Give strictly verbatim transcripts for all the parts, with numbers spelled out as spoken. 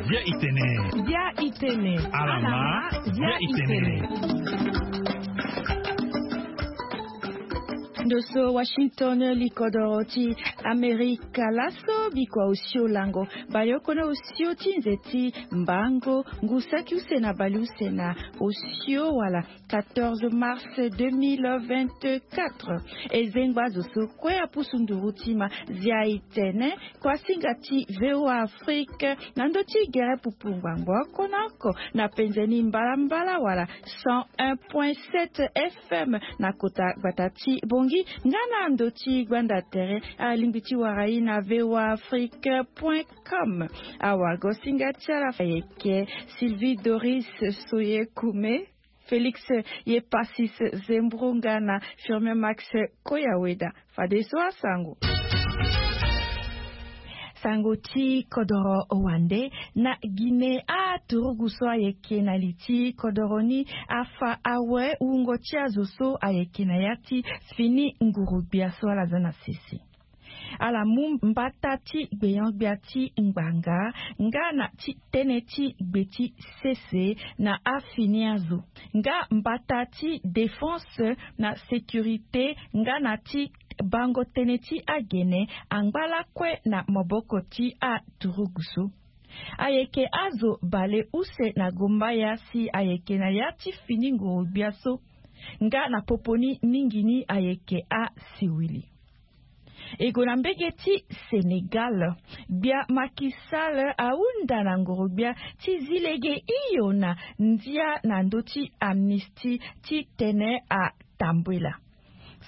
Bia itene. Bia itene. Alama. Bia itene. Ndo so Washington, likodoro ti Amerika laso, bikua osio lango baleoko na osio ti nze ti mbango, ngu saki use na baleuse na osio wala quatorze mars deux mille vingt-quatre. E zengba zo so kue apusu nduru ti ma, zia e tene kua singa ti V O A Afrique na ndö ti gere pupu ngbangbo oko na oko na penze ni mbalambala wala cent un point sept F M na kota gbata ti Bongi, nga na ndö ti gbanda tere alingbi ti wara e na V O A Afrique point com. Awagosinga ti ala ayeke Sylvie Doris Soyekume, Félix Yepasis Zembrunga na Firmin Max Koyaweda. Fadeso asango. Sango ti kodoro wande. Na Guinée, aturugu so ayeke na li ti kodoro ni afa awe wungo ti azo so ayeke na ya ti fini nguru-gbia so ala za na sese. Ala mu mbata ti gbenyo-gbia ti ngbanga nga na ti tënë ti gbe ti sese na afini azo, nga mbata ti défense na sécurité nga na ti bango tënë ti agene angba lakue na maboko ti aturugu so. Ayeke azo baleuse na gombaya si ayeke na ya ti fini nguru-gbia so, nga na popo ni mingi ni ayeke asiwili. E gue na mbege ti Sénégal. Gbia Macky Sall ahunda na nguru-gbia ti zi lege hio na ndia na ndö ti amnistie ti tene atambula.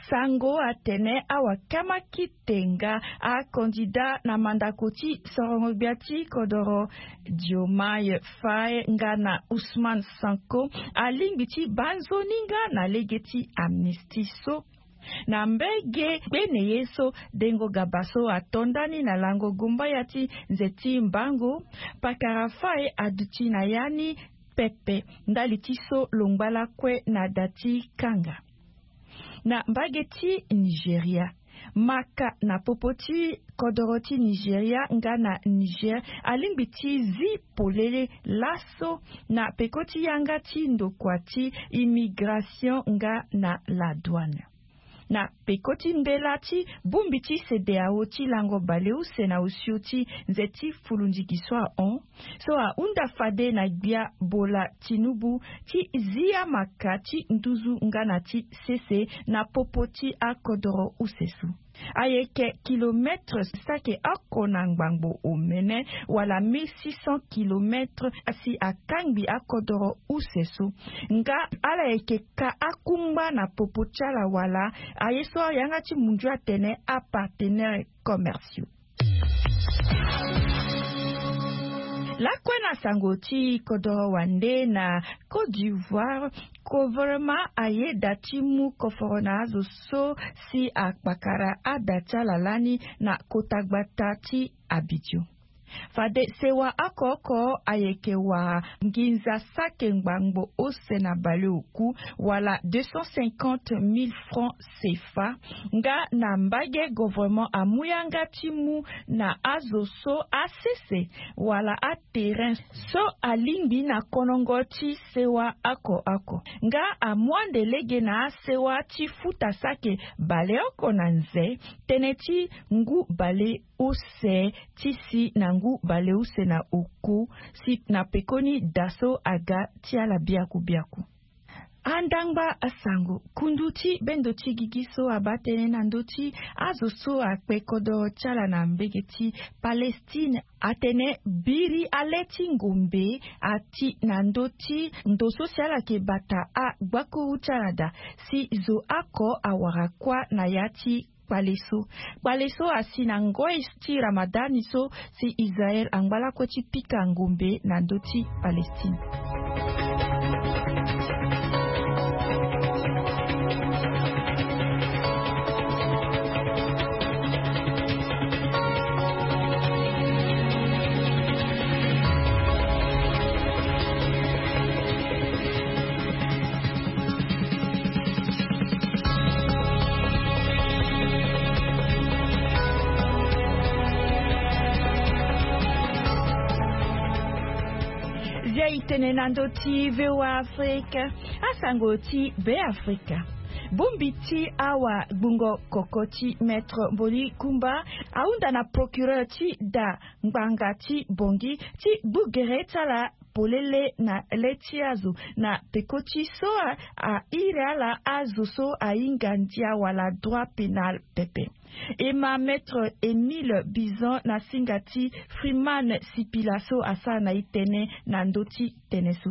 Sango atene awakama kite nga acandidat na mandako ti sorongo-gbia ti kodoro Diomaye Faye nga na Ousmane Sonko alingbi ti baa nzoni nga na lege ti amnistie so. Na mbege gbene ye so, Dengo Gaba so ato ndani na lango gombaya ti nze ti mbango, pakara Faye aduti na ya ni pepe ndali ti so lo ngba lakue na da ti kanga. Na mbage ti Nigeria, maka na popo ti kodoro ti Nigeria nga na Niger alingbi ti zi polele laso na peko ti yanga ti ndokua ti immigration nga na la douane. Na peko ti mbela ti bongbi ti CEDEAO ti lango baleuse na osio ti nze ti fulundigi so ahon, so ahunda fade na gbia Bola Tinubu ti zi amaka ti nduzu nga na ti sese na popo ti akodoro use so. Ayeke kilometre sake oko na ngbangbo omene, wala mille six cents kilomètres, si akangbi akodoro use so. Nga ala yeke ka akungba na popo ti ala wala aye so ayanga ti mundu atene apartenaires commerciaux. Lakue na sango ti kodoro wande na Côte d'Ivoire, gouvernement ayeda ti mu koforo na azo so si akpakara ada ti ala lani na kota gbata ti Abidjan. Fade sewa oko oko ayeke wara nginza sake ngbangbo ose na baleoku, wala deux cent cinquante mille francs CFA, nga na mbage gouvernement amu yanga ti mu na azo so asese wala aterrain so alingbi na konongo ti sewa oko oko. Nga amu ande lege na asewa ti futa sake baleoko na nze, tënë ti ngu bale use ti si na ngu baleuse na oko, si na pekoni da so aga ti ala biaku biaku. Andangba asango, kundu ti bendo ti gigi so abaa tënë na ndö ti azo so akpe kodoro ti ala na mbege ti Palestine atene biri ale ti ngombe ati na ndö ti ndo so si ala yeke bata agbakuru ti ala daa, si zo oko awara kuâ na ya ti kpale so. Kpale so asi na ngoi ti Ramadani so si Israel angba lakue ti pika ngombe na ndö ti Palestine. Tene na ndö ti VOA Afrique, asango ti Be Afrika. Bongbi ti awagbungo koko ti Maître Mboli Kumba ahunda na procureur ti da ngbanga ti Bangui ti gbu gere ti ala polele na le ti azo na peko ti so a iri ala azo so ahinga ndia wala droit pénal pepe. E ma Maître Émile Bizon na singa ti Freeman Sipila so asara na e tënë na ndö ti tënë so.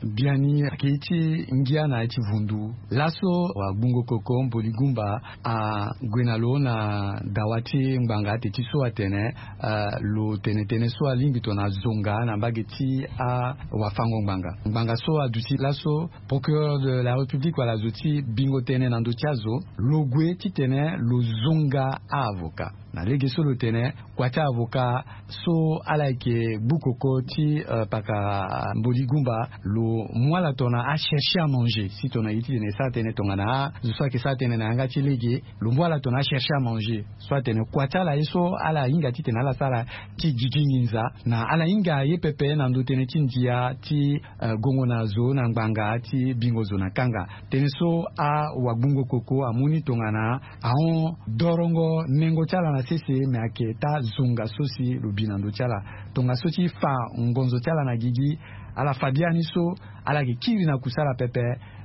Biani ayeke ye ti ngia na ya ti vundu laso wagbungo koko Mboli Gumba ague na lo na dawa ti ngbanga ate ti so atene, eh, lo tene tënë so alingbi tongana zonga na mbage ti awafango ngbanga. Ngbanga so aduti laso procureur de la République wala zo ti bingo tënë na ndö ti azo, lo gue titene lo zonga aavoka. Na lege so lo tene, kua ti avoka so ala yeke gbu koko ti, eh, pakara Mboli Gumba, lo mu ala tongana achercher à manger. Si tongana e ye titene e sara tënë tongana azo so ayeke sara tënë na yanga ti lege, lo mu ala tongana achercher à manger. So atene kua ti ala ye so ala hinga titene ala sara ti gigi nginza na ala hinga ye pepe na ndö tënë ti ndia ti, eh, gongo na zo na ngbanga ti bingo zo na kanga. Tënë so awagbungo koko amu ni tongana ahon dorongo nengo ti ala na sese, me ayeke taa zonga so si lo bi na ndö ti ala. Tongaso ti fa ngonzo ti ala na gigi, ala fa biani so ala yeke kiri na kusala pepe,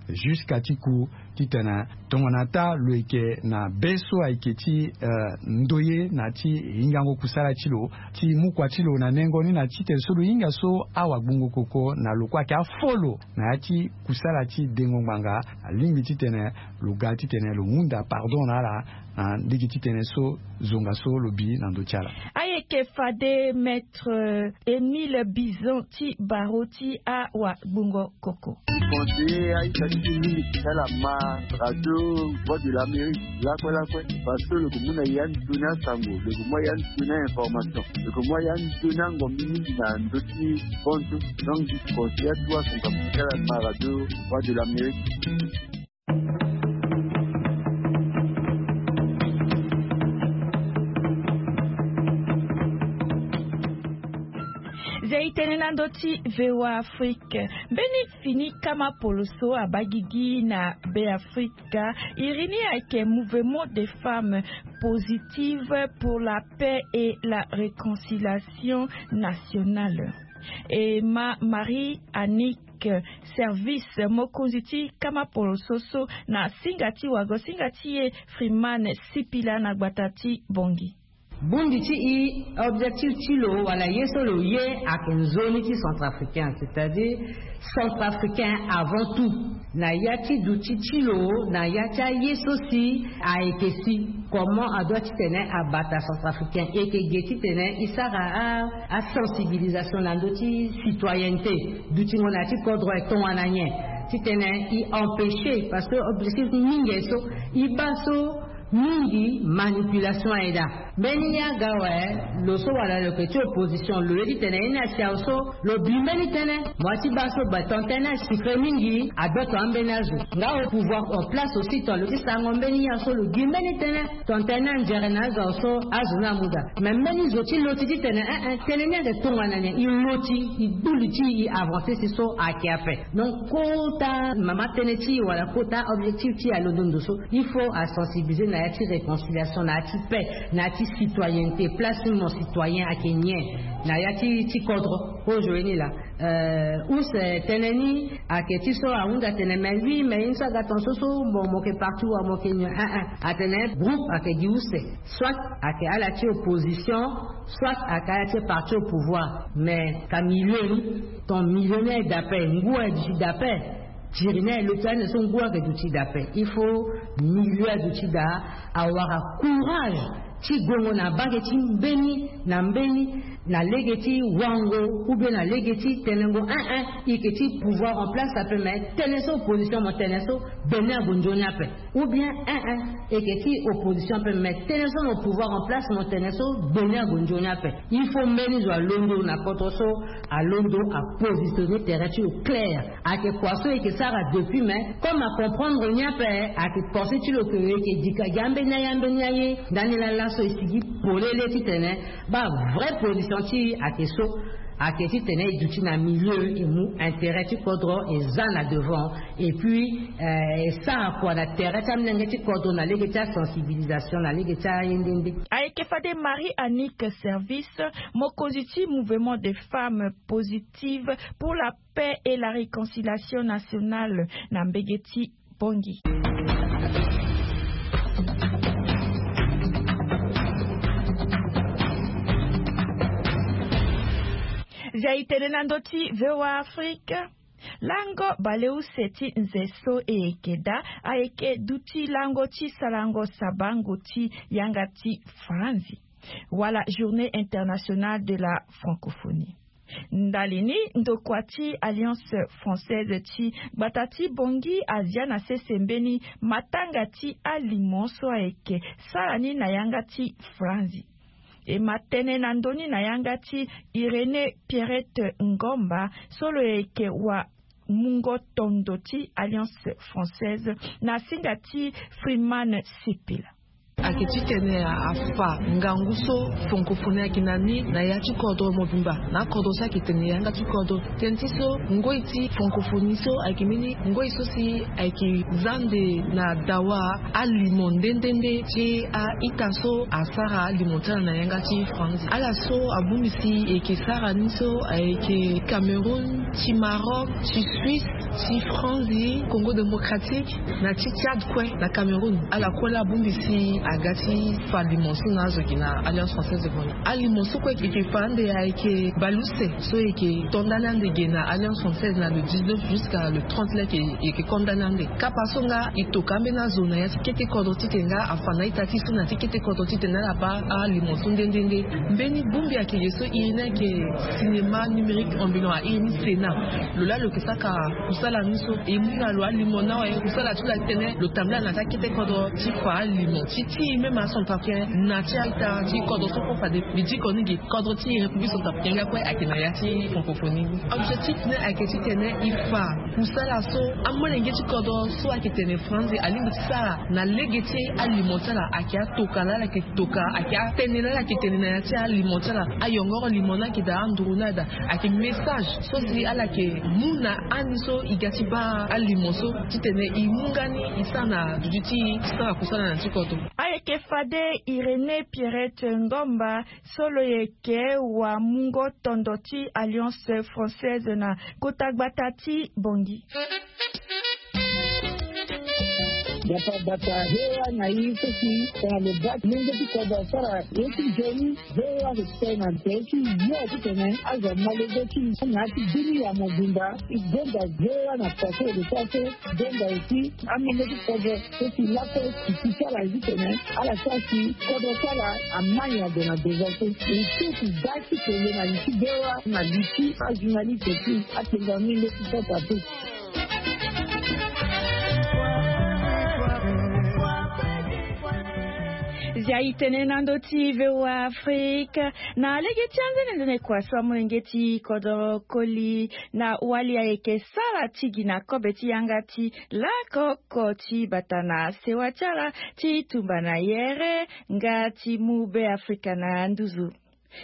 jusqu'à ti ku titene tongana taa lo yeke na be so ayeke ti, eh, ndoye na ti hingango kusala ti lo, ti mu kua ti lo na nengo ni na titene so lo hinga so awagbungo koko na lo kue ayeke afo lo na ya ti kusala ti dengo ngbanga, alingbi titene lo ga titene lo hunda pardon na ala na lege ti tënë so zonga so lo bi na ndö ti ala. Ayeke fade Maître Émile Bizon ti barreau ti awagbungo koko. Conseiller aita ti mingi ti ala ma radio Voix de l'Amérique lakue lakue, parce que lo yeke mu na ya ni toni asango, lo yeke mu ya ni toni a-information, lo yeke mu ya ni toni angombi mingi na ndö ti fonds. Donc je conseille atu asango ti ala ma radio Voix de l'Amérique. Zia e tene na ndö ti VOA Afrique. Mbeni fini kama poloso abaa gigi na Be Afrika. Iri ni ayeke Mouvement des Femmes Positives pour la Paix et la Réconciliation Nationale. E ma Marie Annick Service, mokonzi ti kama poloso so na singa ti wago singa ti e Freeman Sipila na gbata ti Bangui. Bongbi ti e, objectif ti lo wala ye so lo ye ayeke nzoni ti centrafricain, c'est-à-dire centrafricain avant tout. Na ya ti duti ti lo na ya ti aye so si ayeke si comment adoit titene abata centrafricain, e yeke ge titene e sara a, asensibilisation na ndö ti citoyenneté. Dutingo na ya ti kodro e tongana nyen? Titene e empêcher, parce que objectif mingi so e baa so mingi manipulation aye daa. Mbeni ye aga awe, lo so wala lo yeke ti opposition, lo ye titene ye ni asi awe so lo bi mbeni tënë. Mo ya ti baa so ba tongana tënë ni asucre mingi, adoto ambeni azo. Nga opouvoir en place aussi tongana lo ti sarango mbeni ye awe so lo gi mbeni tënë, tongana tënë ni anzere na azo awe so azo ni amu daa. Me mbeni zo ti loti titene eh eh tënë ni ayeke tongana nyen, e loti, e gbu li ti e, e avancer si so ayeke ape. Donc kota mama tënë ti e wala kota objectif ti e alondo ndo so. Il faut asensibiliser na ya ti réconciliation, na ya ti paix, na ya ti citoyenneté, place ti mo citoyen ayeke nyen na ya ti, ti kodro. Kozoni laa, euh, use tënë ni ayeke ti so ahunda tene mais oui, mais ye ni so aga tongaso so, bon, mo yeke parti wa mo yeke nyen, eh eh. Atene groupe ayeke gi use. Soit ayeke ala ti opposition, soit ayeke ala ti parti au pouvoir. Mais ka milieu ni, ton milieu ni aye daa ape, ngu aye duti daa ape. Tiri ni aye loti ande so ngu ayeke duti daa ape. Il faut milieu aduti daa awara courage ti gongo na mbage ti mbeni na mbeni, na lege ti wango ou bien na lege ti tenengo eh eh, e yeke ti pouvoir en place ape, mais tënë so opposition mo tene so, gbeni ague nzoni ape. Ou bien eh eh, e yeke ti opposition ape, mais tënë so mo pouvoir en place mo tene so, gbeni ague nzoni ape. Il faut mbeni zo alondo na kodro so, alondo apositionner tere ti lo clair. Ayeke kua so e yeke sara depuis, mais comme acomprendre ni ape, ayeke pensé ti lo ke e yeke dika gi ambeni aye, ambeni aye. Ndani laa laso e sigi polele titene baa vrai position ti e ayeke so. Ayeke titene e duti na milieu e mu intérêt ti kodro e za na devant, et puis e sara kua na tere ti amolenge ti kodro na lege ti asensibilisation na lege ti aye nde nde. Ayeke fade Marie Annick Service, mokonzi ti Mouvement des Femmes Positives pour la Paix et la Réconciliation Nationale, na mbege ti Bongi. Zia itene na ndö ti V O A Afrique. Lango baleuse ti nze so e yeke daa ayeke duti lango ti sarango sabango ti yanga ti Franzi, wala Journée Internationale de la Francophonie. Ndali ni, ndokua ti Alliance Française ti gbata ti Bongi azia na sese mbeni matanga ti alimo so ayeke sara ni na yanga ti Franzi. E ma tene na ndö ni na yanga ti Irénée Pierrette Ngomba, so lo yeke wa mungo tondo ti Alliance Française na singa ti Freeman Sipila. Ayeke titene afa ngangu so francophonie ayeke na ni na ya ti kodro mobimba, na akodro so ayeke tene yanga ti kodro. Tënë ti so, ngoi ti francophonie so ayeke mbeni ngoi so si ayeke za nde na dawa alimo nde nde nde ti a-ita so asara alimo ti ala na yanga ti Franzi. Ala so abongbi si e yeke sara ni so ayeke Cameroun, ti Maroc, ti Suisse, ti Franzi, Congo Démocratique, na ti Tchad kue, na Cameroun. Ala kue la abongbi si aga ti fa alimo so na azo gi na Alliance Française de Bongi. Alimo so kue e yeke fa ande ayeke baleuse so e yeke to ndani ande gi na Alliance Française na le dix-neuf jusqu'à le trente leke e yeke ko ndani ande. Kapa so nga e toka ambeni azo na ya ti kete kodro titene nga afa na a-ita ti so na ti kete kodro titene ala baa alimo so nde nde nde. Mbeni bongbi ayeke ge so e ni ayeke cinéma numérique ambulant, a iri ni Sénat. Lo laa lo yeke saka kusala ni so e mu na lo alimo ni awe. Kusala ti lo ayeke tene lo tambula na ti akete kodro ti fa alimo ti ti même acentrafricain na ti a-ita ti kodro so kue fade. Mbi diko ni gi kodro ti République centrafricaine nga kue ayeke na ya ti francophonie ni. Objectif ni ayeke titene e fa kusala so amolenge ti kodro so ayeke tene Franzi alingbi ti sara na lege ti alimo ti ala ayeke atoka laa ala yeke toka, ayeke atënë laa ala yeke tene na ya ti alimo ti ala. Ayongoro limo ni ayeke daa, anduru ni ayeke daa, ayeke message so si ala yeke mu na ani so e ga ti baa alimo so titene e mu nga ni e sara na duti ti e ti sara kusala na ti kodro. Ayeke fade Irénée Pierrette Ngomba, so lo yeke wa mungo tondo ti Alliance Française na kota gbata ti Bongi. Gbata gbata, V O A na i so si tongana lo baa ti lenge ti kodro asara ye ti nzoni, V O A ayeke tene na tere ti yo titene azo ma lege ti na ya ti bini ya mobimba. E gonda V O A na tere ti lo so aso, gonda aussi amolenge ti kodro so si lakue si ti ala ye titene ala sara si kodro ti ala ama nyango na devant so. E so si da ti kele na li ti V O A na li ti ajournaliste ti atenga ni leti sota te. Zia e tene na ndö ti V O A Afrique. Na lege ti anzenenzene kua so amolenge ti kodro koli na wali ayeke sara ti gi na kobe ti yanga ti lako oko ti bata na sewa ti ala ti tumba na yere nga ti mu Be Afrika na nduzu.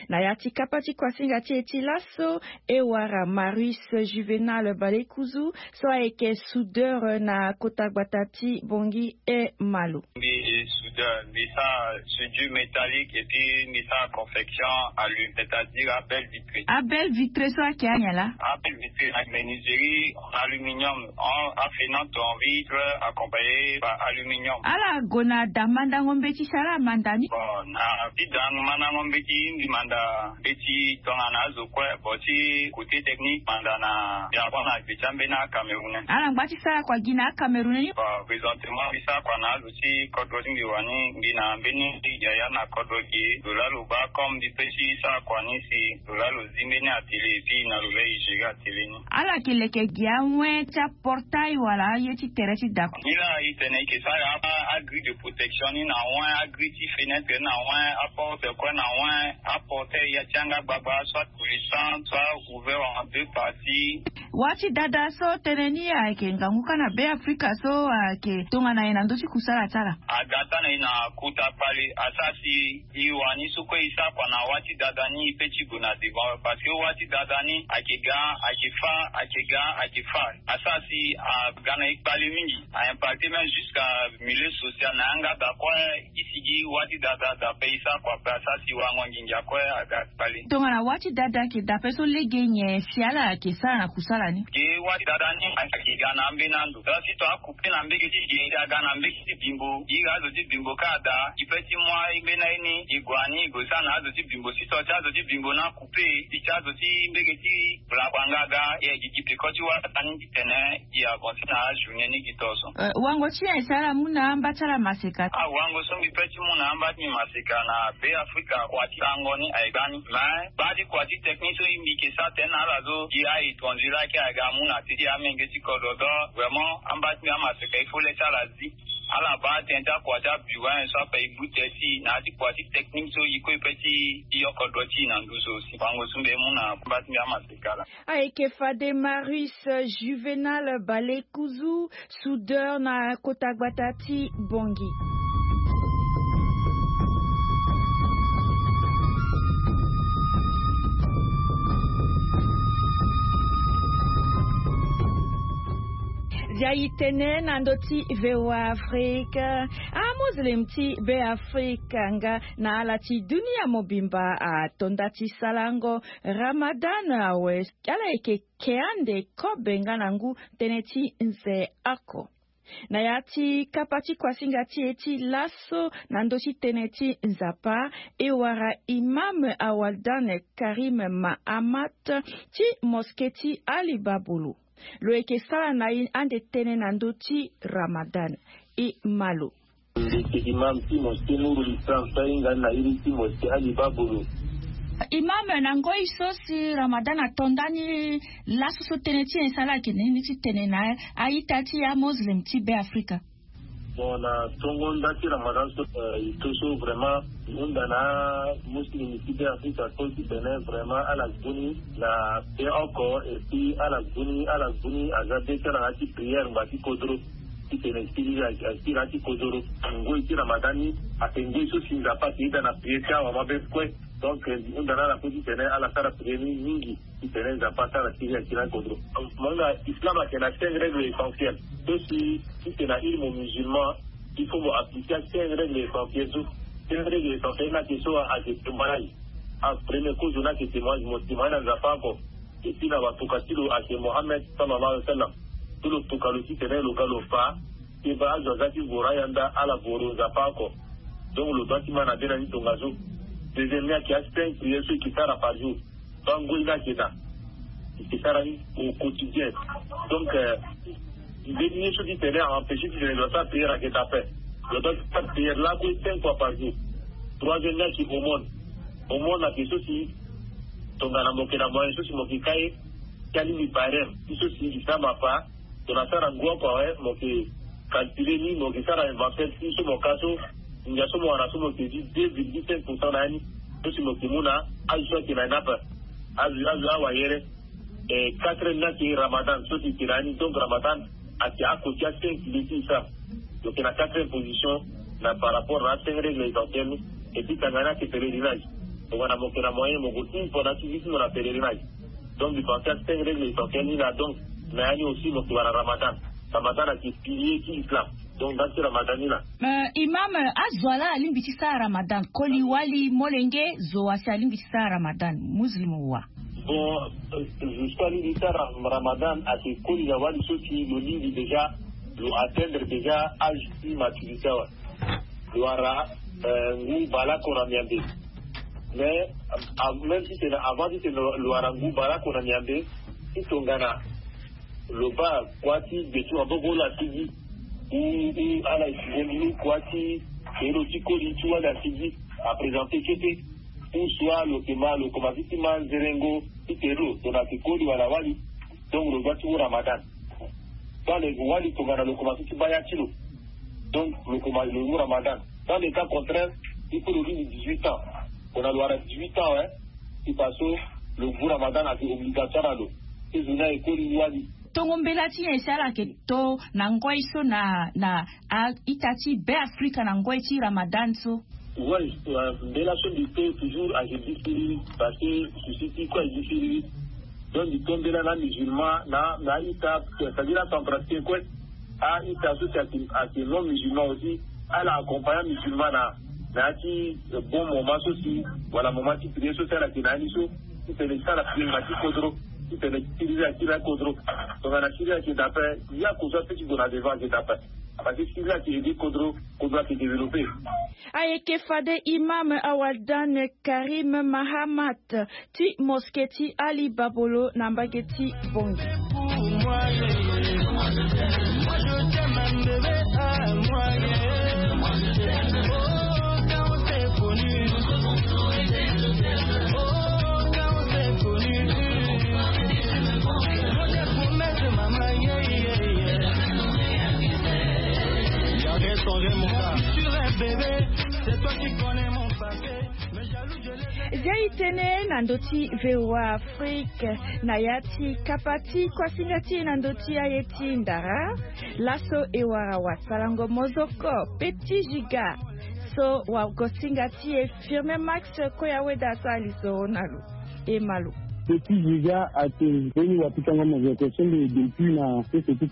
Na ya ti kapa ti kuasinga ti e ti laso, e wara Marius Juvenal Balekuzu so ayeke soudeur na kota gbata ti Bongi e Malo. Mbi soudeur, mbi sara soudure métallique et puis mbi sara confection allume, c'est-à-dire abel vitré. Abel vitré so ayeke anya laa? Abel vitré na menuiserie en aluminium, en affinante en vitre accompagné par aluminium. Ala gue na da mandango mbeti si ala manda ni? Bon, na ti da mandango mbeti, mbi manda mbeti tongana azo kue. Bon, ti côté technique, manda na Japon na gbe ti ambeni acamerounais. Ala ngba ti sara kua gi na acamerounais ni? Bon, présentement mbi sara kua na azo ti kodro ti mbi wani, mbi na mbeni yaya na kodro ge. Lo laa lo baa comme mbi pe ti sara kua ni si lo laa lo zi mbeni atelier et puis na lo laa e gérer atelier ni. Ala yeke leke gi awen ti aportail wala aye ti tere ti da? Ni laa e tene e yeke sara a, agrille de protection ni na awen, agrille ti fenêtre ni na awen, aporte kue na awen, aportail ya ti yanga gbagba, soit coulissant, soit ouvert en deux parties. Wâ ti dada so tënë ni ayeke ngangu kâ na Beafrika so ayeke tongana e na ndö ti kusala ti ala. Aga tâ na e na kota kpale asara si e wani so kue e sara kua na wâ ti dada ni e pe ti gue na devant parce que wâ ti dada ni ayeke ga, ayeke fâ, ayeke ga, ayeke fâ. Asara si aga na e kpale mingi. A impacté même jusqu'à milieu social na yanga da kue. E sigi wâ ti dada da pe e sara kua pe asara si wango ngingia kue aga kpale. Tongana wâ ti dada ayeke da pe so lege nyen si ala ayeke sara na kusala ni? Ge wâ ti dada ni ayeke ga na ambeni ando da si to akupe na mbege ti ge ti aga na mbege ti bimbo. Iri azo ti bimbo kâ ada e pe ti mu ambeni aye ni e gue ani e gue sara na azo ti bimbo si to ti azo ti bimbo ni akupe. Ti ti azo ti mbege ti bula kua nga aga e gi gi peko ti wâ dada ni titene e avancer na ajournée ni gi to so. Wango ti nyen si ala mu na amba ti ala maseka? Awango so mbi pe ti mu na amba ti mbi maseka na Beafrika kua ti tango ni aye gbani mais baa ti kua ti technique so mbi yeke sara tënë na ala so gi a-étranger laa ayeke aga amu na te ti amenge ti kodro donc vraiment amba ti mbi amaseka il faut le ti ala zi ala baa tënë ti akua ti abureau so ape e bute ti na ya ti kua ti technique so e kue e pe ti yoko dro ti e na nduzu aussi. Wango so mbi mu na amba ti mbi amaseka laa. Ayeke fade Marius Juvenal Balekuzu, soudeur na kota gbata ti Bangui. Zia e tene na ndö ti V O A Afrique. Amuslim ti Beafrika nga na ala ti dunia mobimba ato nda ti sarango Ramadan awe. Ala yeke ke ande kobe nga na ngu tënë ti nze oko. Na ya ti kapa ti kuasinga ti e ti laso na ndö ti tënë ti Nzapa, e wara imam Awaldan Karim Mahamat ti mosquée ti Ali Babulu. Lo yeke sara na e ande tënë na ndö ti Ramadan. E ma lo. Ndeke imam ti mosquée Nourul Islam so ahinga ni na iri ti mosquée Ali Babulu. Imam, na ngoi so si Ramadan ato ndani laso so tënë ti nyen si ala yeke na ni ti tene na a-ita ti amuslim ti Beafrika? Bon, na tongo nda ti Ramadan so, eh, e to so vraiment e hunda na amuslim ti Beafrika so titene vraiment ala gue ni na be oko et puis ala gue ni, ala gue ni aza be ti ala na ya ti prière ngba ti kodro. Titene siriri asiri na ya ti kodoro. Ngoi ti Ramadan ni ayeke ngoi so si Nzapa ayeke yeda na prière ti awamabe kue. Donc, eh, hunda na ala kue titene ala sara prière ni mingi titene Nzapa asara siriri asiri na kodro. Mo hinga Islam ayeke na cinq règles essentielles so si titene na iri mo musulman il faut mo appliquer cinq règles essentielles so. Cinq règles essentielles ni ayeke so ayeke témoignage. A premier kozo ni ayeke témoignage, mo témoignage na Nzapa oko. Et puis na watuka ti lo ayeke Mohammed sallallahu alaihi wasallam. So lo tuka lo titene lo ga lo fa ti baa azo aza ti voro ayanda ala voro Nzapa oko. Donc lo doit ti ma na be na ni tongaso. Deuxième ni ayeke acinq prière so e ke sara par jour. Baa ngoi ni ayeke daa e ke sara ni au quotidien. Donc, euh, mbeni ye so titene a empêcher titene lo sara prière ayeke daa ape. Lo doit ti sara prière lakue cinq fois par jour. Troisième ni ayeke aumône. Aumône ayeke so si tongana mo yeke na moyen so si mo yeke ka ye ti alingbi barème ti so si Islam afa. Tongana asara ngu oko awe mo yeke calculer ni, mo yeke sara inventaire ti so mo ka so ngia so mo wara so mo yeke zi deux virgule cinq pour cent na ya ni. So si mo yeke mu na azo so ayeke na ni ape. Azo azo awayere. Eh, quatrième ni ayeke Ramadan so si e yeke na ya ni. Donc Ramadan ayeke oko ti acinq piliers ti Islam. Lo yeke na quatrième position na par rapport na acinq règles essentielles ni. Et puis tanga ni ayeke pèlerinage. Tongana mo yeke na moyen mo gue une fois na ya ti vie ti mo na pèlerinage. Donc mbi pense acinq règles essentielles ni laa. Donc na ya ni aussi mo yeke wara Ramadan. Ramadan ayeke pilier ti Islam. Donc nda ti Ramadan ni laa. Euh, imam, euh, azo wa laa alingbi ti sara Ramadan? Koli, wali, molenge, zo wa si alingbi ti sara Ramadan, muslim wa? Bon, euh, zo so alingbi ti sara Ramadan ayeke koli na wali so si lo lingbi déjà, lo atteindre déjà âge ti maturité awe. Lo wara, euh, ngu baleoko na miambe. Mais, euh, même si c'est avant, si c'est lo wara ngu baleoko na miambe, si tongana lo baa kua ti gbe ti maboko lo asigi, ou, ou ala étudier ni kua ti kelo ti koli ti wali asigi, a présenter kete, ou soit lo yeke ma, lo commencer ti ma nzerengo ti kelo, tongana ayeke koli wala wali. Donc lo doit ti mu Ramadan. Baa lo yeke wali tongana lo commencer ti baa ya ti lo. Donc lo commencer lo mu Ramadan. Dans le cas contraire, il faut lo lingbi dix-huit ans. Tongana lo wara dix-huit ans, hein, si parce que lo mu Ramadan ayeke obligatoire na lo. Ti zo ni ayeke koli wali. Tongo mbela ti nyen si ala yeke to na ngoi so na na a-ita ti Be Afrika na ngoi ti Ramadan so? Oui, mbela so mbi to toujours ayeke gi siriri parce que souci ti kue ayeke gi siriri. Donc mbi to mbela na amusulman na na a-ita, c'est-à-dire acentrafricain kue. A-ita so si ayeke ayeke non musulman aussi, ala accompagne amusulman na na ya ti bon moment so si wala moment ti prière so si ala yeke na ya ni so. Titene ti sara prière na ti kodro, titene ti siriri akiri akodro. Tongana siriri ayeke daa ape, ya kozua pe ti gue na devant ayeke daa ape. Parce que siriri ayeke aider kodro, kodro ayeke développer. Ayeke fade imam Awadan Karim Mahamat ti mosquée ti Ali Babolo na mbage ti Bangui. Zia e tene na ndö ti V O A Afrique na ya ti kapa ti kuasinga ti e na ndö ti aye ti ndara. Laso e wara wasarango mozoko Petit Giga so wagosinga ti e Firmin Max Koyaweda asara lisoro na lo. E ma lo. Petit Giga atene mbeni wapikango mozoko so mbi depuis na sese ti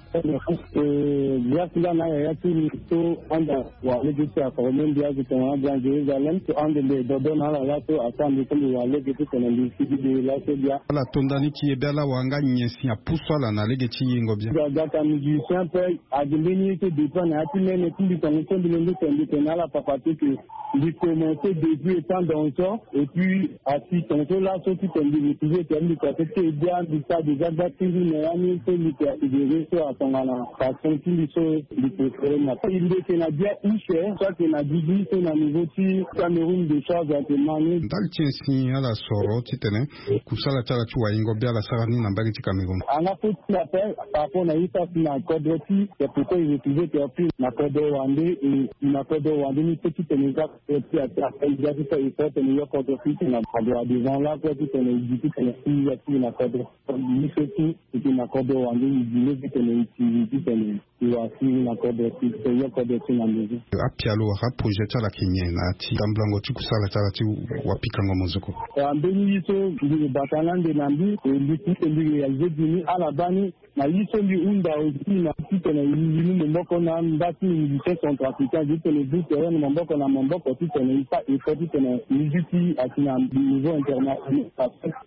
Eh, grâce nga na yaya ti mbi so anda wa lege ti aforme mbi azo tongana Grand Jérusalem so ande mbi dodo na ala laso asara mbi so mbi wa lege ti tene mbi sigi de laso bia. Ala to ndani ti e be ala wara nga nyen si apusu ala na lege ti yengo bia. Ga gaka musicien ape ade mbeni ye so dépend na ya ti mene ti mbi tongo so mbi lenge tene mbi tene na ala papa ti ke mbi commence depuis étant danseur et puis asi tongaso laso titene mbi retrouve ete mbi kua so ti e bia mbi sara déjà gba ti mbi na ya ni so mbi ke asidere so atongana passion ti mbi so mbi préféré na mbi yeke na bia use so ayeke na didi so na niveau ti Cameroun de charge ayeke ma ni. Ndali ti nyen si ala soro titene kusala ti ala ti wayengo bia ala sara ni na mbage ti Cameroun? Anga fo ti mbi ape par rapport na ye so asi na kodro ti c'est pourquoi e retrouve ete ape na kodro wande e na kodro wande ni so titene e za Ti a ti a ti a ti sa e so tene yo kodro ti tene a doit devant lakue ti tene e gi ti tene si ya ti na kodro. Ye so ti e ti na kodro wande e gi le ti tene e ti ti tene e wa si na kodro ti tene yo kodro ti na maison. Apialo wala aprojet ti ala ayeke nyen na ya ti tambulango ti kusala ti ala ti wapikango mozoko? Wa mbeni ye so mbi bata na ande na mbi e mbi ti tene mbi réaliser gi ni ala baa ni. Na ye so mbi hunda aussi na titene mbi mu maboko na mba ti musicien centrafricain titene mbi tere na maboko na maboko titene mbi fa effort titene musique ti asi na niveau international.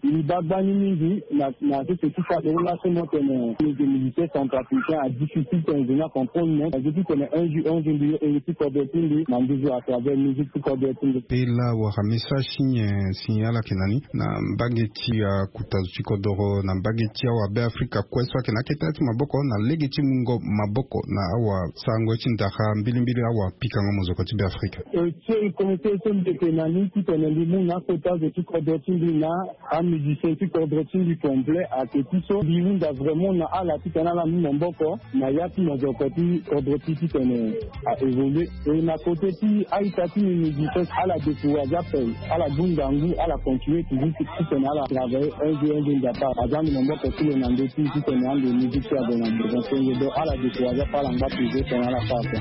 Mbi baa gbani mingi na na sese ti Cameroun laso mo tene mbi yeke musicien centrafricain a difficile titene mbi na comprendre mo na ye titene un jour un jour mbi yo ere ti kodro ti mbi na mbi zo à travers musique ti kodro ti mbi. Pela wala message ti nyen si ala yeke na ni na mbage ti akuta zo ti kodoro na mbage ti awabe afrika kue so ayeke na akete ti maboko na lege ti mungo maboko na awasarango ye ti ndara mbilimbili awapikango mozoko ti be afrika. E so e komite so mbi yeke na ni titene mbi mu na akota zo ti kodro ti mbi na amusicien ti kodro ti mbi complet ayeke ti so mbi hunda vraiment na ala titene ala mu maboko na ya ti mozoko ti kodro ti titene a évoluer. E na kote ti a-ita ti mbi mbi gi so ala décourage ape ala du ngangu ala continue toujours ti titene ala travailler un jour un jour nzapa aza ande maboko ti lo na ndö ti titene ande musique ti ague na devant so nge donc ala décourage ape ala ngba toujours titene ala sara ape.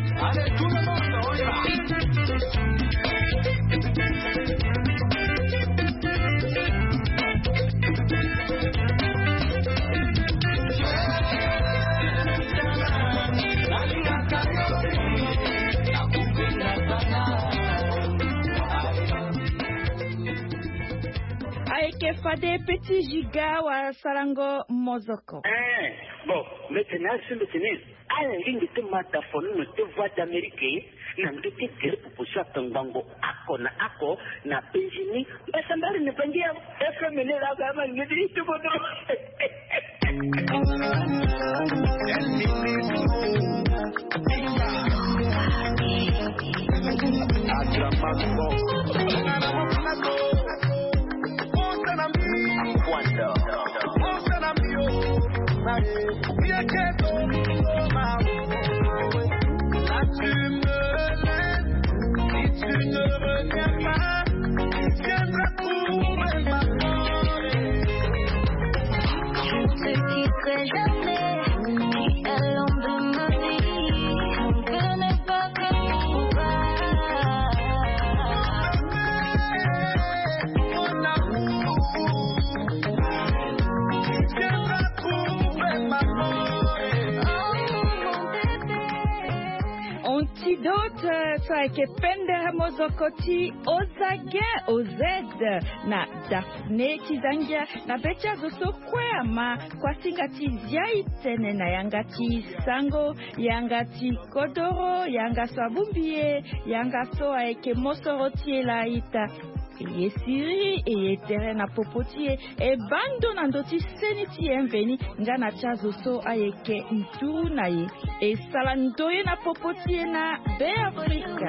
Ayeke fade petit giga wala sarango mozoko. Eh, bon, mete na asimbe tene ala lingbi ti mata fo ni na ti voix d'amérique na ndö ti gere popo so atongbango ako na ako na penzi ni mbasambari na bangi ya. Fm ni la ga ma ni ti bodo. Dot, so ayeke pendere mozoko ti Ozagen Ozed na Daphné ti Zangia na be ti azo so kue ama. Kuasinga ti zia e tene na yanga ti sango, yanga ti kodoro, yanga so abongbi e, yanga so ayeke mosoro ti e laa ita. E ye siriri, e ye tere na popo ti e, e baa ndo na ndö ti seni ti e mveni nga na ti azo so ayeke nduru na e. E sara ndoye na popo ti e na Be Afrika.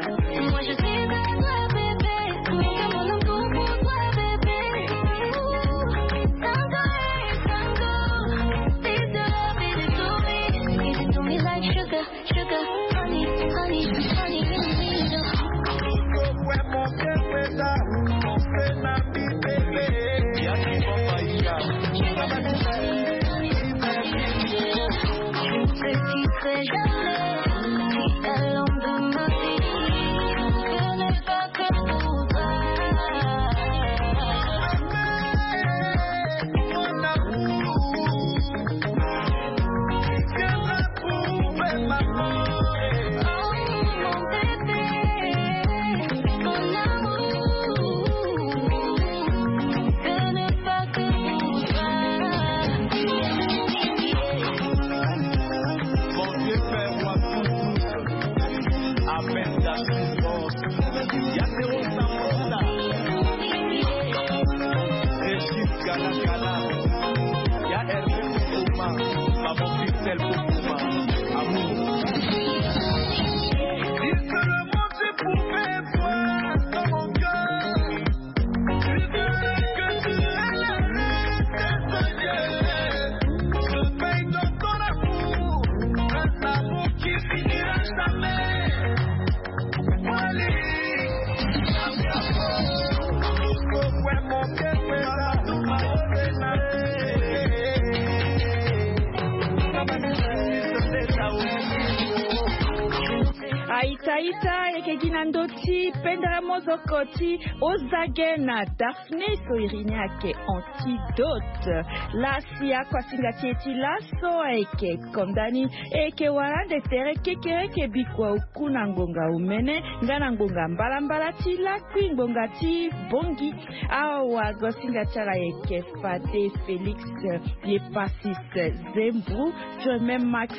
Aita ita, e yeke gi na ndö ti pendere mozoko ti Ozage na Daphné so iri ni ayeke Antidote. Laa si akuasinga ti e ti laso ayeke konda ni. E yeke wara ande tere kekereke bikua oku na ngonga omene nga na ngonga mbalambala ti lakui ngonga ti bongi. Awa gosinga ti ala ayeke fade Félix Yepasis Zembrou, Firmin Max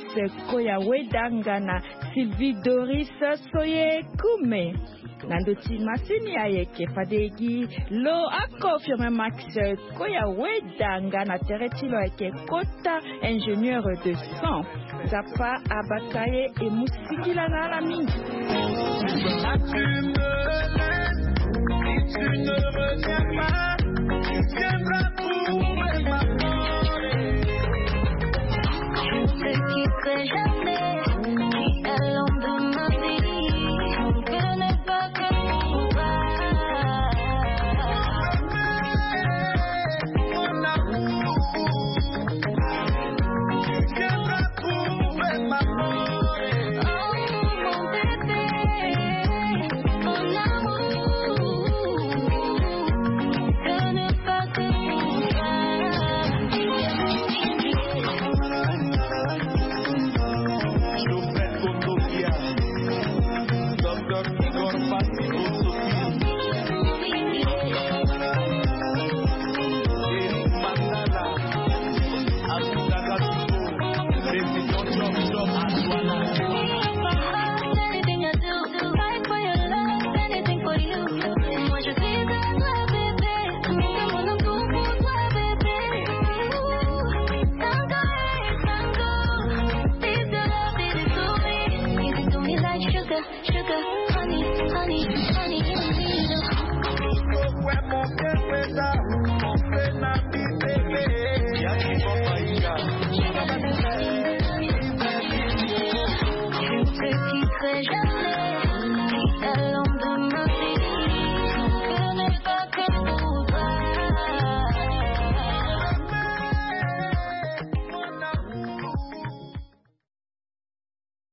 Koya Weda nga na Sylvie Doris Soye Kume. Na ndö ti masini ayeke fade gi lo ako Firmin Max Koya Weda nga na tere ti lo ayeke kota ingénieur de son. Nzapa abata ye, e mu singila na ala mingi.